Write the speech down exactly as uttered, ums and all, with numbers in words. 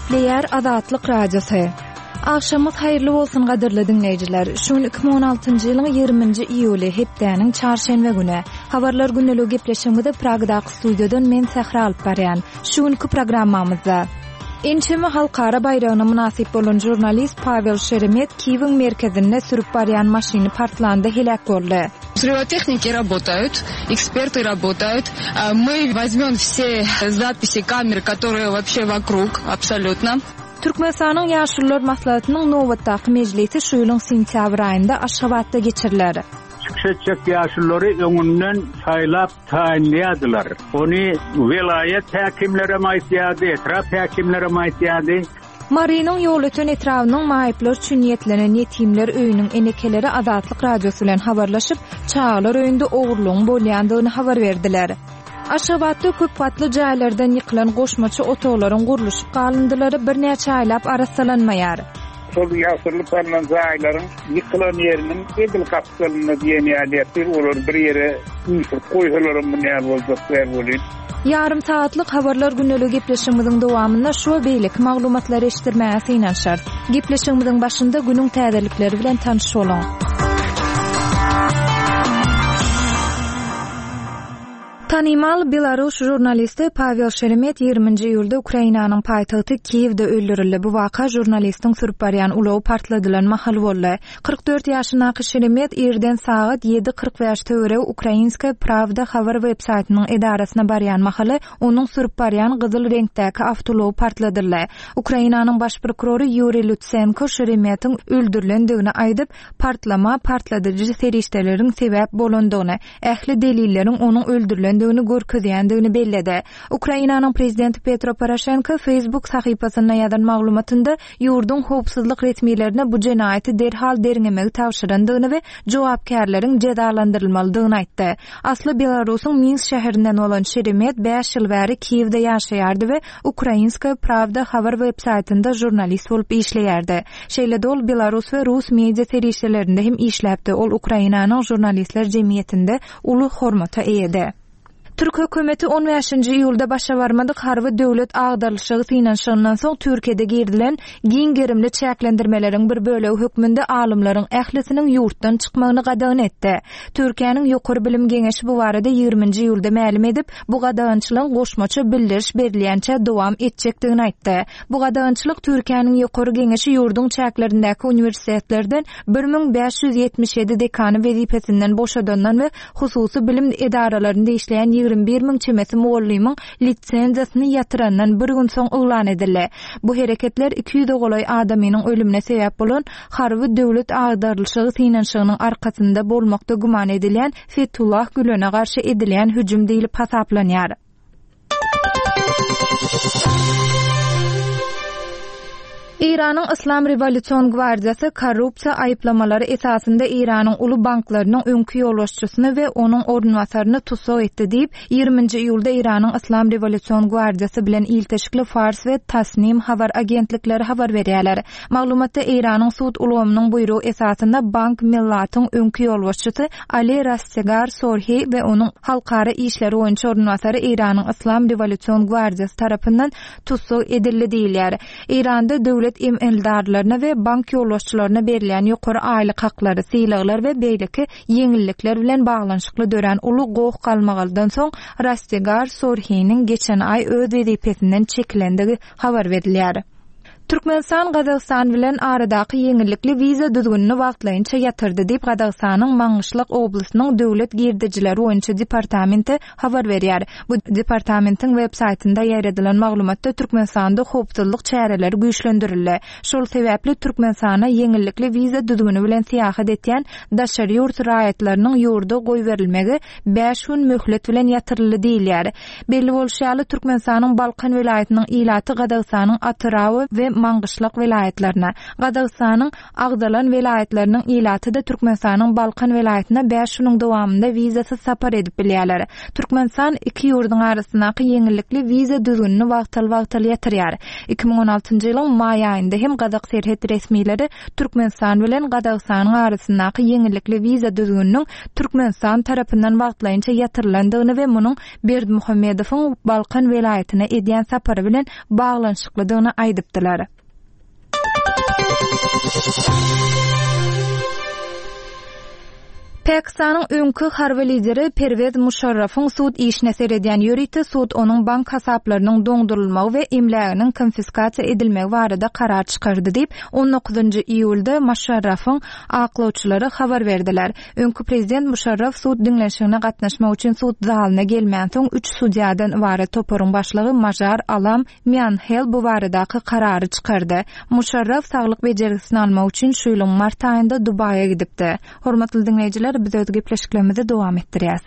Gepleýär Azatlyk Radiosy. Agşamyňyz haýyrly bolsun gadyrly diňleýjiler. Şu gün iki müň on altynjy ýylyň ýigriminji iýuly, hepdäniň çarşenbe güni. Habarlar gündeligi gepleşigimizi Pragdaky studiýadan men Sähra alyp barýan. Şu günki programmamyzda ençeme halkara baýragyna mynasyp bolan žurnalist Pawel Şeremet Kiýewiň merkezinde sürüp barýan maşyny partlanda heläk boldy. Взрывотехники работают, эксперты работают. Мы возьмем все записи камер, которые вообще вокруг, абсолютно. Türkmenistanyň Ýaşulular maslahatynyň nobatdaky mejlisi şu ýylyň sentýabr aýynda Aşgabatda geçiriler. Çykyş etjek ýaşululary öňünden saýlap taýynlaýardylar. Ony welaýat häkimleri aýtýardy, etrap häkimleri aýtýardy. Marynyň Ýolöten etrabynyň maýyplar üçin niýetlenen ýetimler öýüniň enekeleri Azatlyk Radiosy bilen habarlaşyp, çagalar öýünde ogurlygyň bolýandygyny habar berdiler. Aşgabatda köp gatly jaýlardan ýykylan goşmaça otaglaryň gurluşyk galyndylary birnäçe aýlap arassalanmaýar. Şol ýaşyrylyp alynan jaýlaryň ýykylan ýeriniň edil gapdalynda diýen ýaly ýatyr, olar bir ýere üýşürip goýsalaram bu näme boljak däl bolýar. Ýarym saatlyk habarlar gündeligi gepleşigimiziň dowamynda şu we beýleki maglumatlary eşitdirmäge synanyşarys. Gepleşigimiziň başynda günüň täzelikleri bilen tanyş boluň. Tanymal Belarus žurnalisti Pawel Şeremet ýigriminji iýulda Ukrainanyň paýtagty Kiýewde öldürildi. Bu waka žurnalistiň sürüp barýan ulagy partladylan mahal boldy. Kyrk dört ýaşyndaky Şeremet irden sagat ýedi kyrk bäş töweregi Ukrainskaya Pravda habar web saýtynyň edarasyna barýan mahaly onuň sürüp barýan gyzyl reňkdäki awtoulagy partladyldy. Ukrainanyň baş prokurory Ýuriý Lutsenko Şeremetiň öldürilendigini aýdyp, partlama partladyjy serişdeleriň sebäp bolandygyny, ähli delilleriň onuň öldürilendigini görkezýändigini belledi. Ukrainanyň prezidenti Petro Poroşenko Facebook sahypasynda ýazan maglumatynda ýurduň howpsuzlyk resmilerine bu jenaýaty derhal derňemegi tabşyrandygyny we jogapkärleriň jezalandyrylmalydygyny aýtdy. Asly Belarusyň Minsk şäherinden bolan Şeremet bäş ýyl bäri Kiýewde ýaşaýardy we Ukrainskaya Pravda habar web saýtynda žurnalist bolup işleýärdi. Şeýle-de ol Belarus we Rus media serişdelerinde hem işläpdi. Ol Ukrainanyň žurnalistler jemgyýetinde uly hormata eýedi. Türk hökümeti on bäşinji iýulda başa barmadyk harby döwlet agdarlyşygy synanyşygyndan soň Türkiýede girilen giň gerimli çäklendirmeleriň bir bölegi hökmünde alymlaryň ählisiniň ýurtdan çykmagyny gadagan etdi. Türkiýäniň Ýokary Bilim Geňeşi bu barada ýigriminji iýulda mälim edip, bu gadagançylygyň goşmaça bildiriş berilýänçä dowam etjekdigini aýtdy. Bu gadagançylyk Türkiýäniň Ýokary Geňeşi ýurduň çäklerindäki uniwersitetlerden bir müň bäş ýüz ýetmiş ýedi dekany wezipesinden boşadandan we hususy bilim edaralarynda işleýän ýigrimi bir müň çemesi mugallymyň lisenziýasyny ýatyrandan bir gün soň yglan edildi. Bu hereketler iki ýüze golaý adamynyň ölümine sebäp bolan harby döwlet agdarlyşygy synanyşygynyň arkasynda bolmakda güman edilýän Fethullah Gülene garşy edilýän hüjüm diýlip hasaplanýar. Eýranyň Islam Rewolýusion Gwardiýasy korrupsiýa aýyplamalary esasynda Eýranyň uly banklarynyň öňki ýolbaşçysyny we onuň orunbasaryny tussag etdi diýip, ýigriminji iýulda Eýranyň Islam Rewolýusion Gwardiýasy bilen ilteşikli Fars we Tasnim habar agentlikleri habar berýärler. Maglumatda Eýranyň sud ulgamynyň buýrugy esasynda Bank Millatyň öňki ýolbaşçysy Ali Rastegar Sorhi we onuň halkara işleri boýunça orunbasary Eýranyň Islam Rewolýusion Gwardiýasy tarapyndan tussag edildi diýilýär. Eýranda döwlet emeldarlaryna we bank ýolbaşçylaryna berilýän ýokary aýlyk haklary, sylaglar we beýleki ýeňillikler bilen baglanyşykly dörän uly goh galmagaldan soň Rastegar Sorhiniň geçen aý öz wezipesinden çekilendigi habar berilýär. Türkmenistan Gazagystan bilen aradaky ýeňillikli wiza düzgünini wagtlaýynça ýatyrdy diýip Gazagystanyň Maňgyşlak oblastynyň döwlet girdejileri boýunça departamenti habar berýär. Bu departamentiň web saýtynda ýaýradylan maglumatda Türkmenistanda howpsuzlyk çäreleri güýçlendirildi. Şol sebäpli Türkmenistana ýeňillikli wiza düzgüni bilen syýahat etýän daşary ýurt raýatlarynyň ýurda goýberilmegi bäş gün möhlet bilen ýatyryldy diýilýär. Belli bolşy ýaly Türkmenistanyň Balkan welaýatynyň ilaty Gazagystanyň Atyrau we Maňgyşlak welaýatlaryna, Gazagystanyň agzalan welaýatlarynyň ilaty-da Türkmenistanyň Balkan welaýatyna bäş günüň dowamynda wizasyz sapar edip bilýärler. Türkmenistan iki ýurduň arasyndaky ýeňillikli wiza düzgünini wagtal-wagtal ýatyrýar. Iki müň on altynjy ýylyň maý aýynda hem gazak serhet resmileri Türkmenistan bilen Gazagystanyň arasyndaky ýeňillikli wiza düzgüniniň Türkmenistan tarapyndan wagtlaýynça ýatyrylandygyny we munuň Berdimuhamedowyň Balkan welaýatyna edýän sapary bilen baglanyşyklydygyny aýdypdylar. Pakistanyň öňki harby lideri Perwez Muşarrafyň sud işine seredýän ýörite sud onuň bank hasaplarynyň doňdurylmagy we emläginiň konfiskasiýa edilmegi barada karar çykardy diýip, on dokuzynjy iýulda Muşarrafyň aklawçylary habar berdiler. Öňki prezident Muşarraf sud diňlenişigine gatnaşmak üçin sud zalyna gelmänsoň üç sudýadan ybarat toparyň başlygy Majar Alam Mianhel bu baradaky karary çykardy. Muşarraf saglyk bejergisini almak üçin şu ýylyň mart aýynda Dubaýa gidipdi. Hormatly diňleýjiler, biz öz gepleşiklerimizi dowam etdirýäs.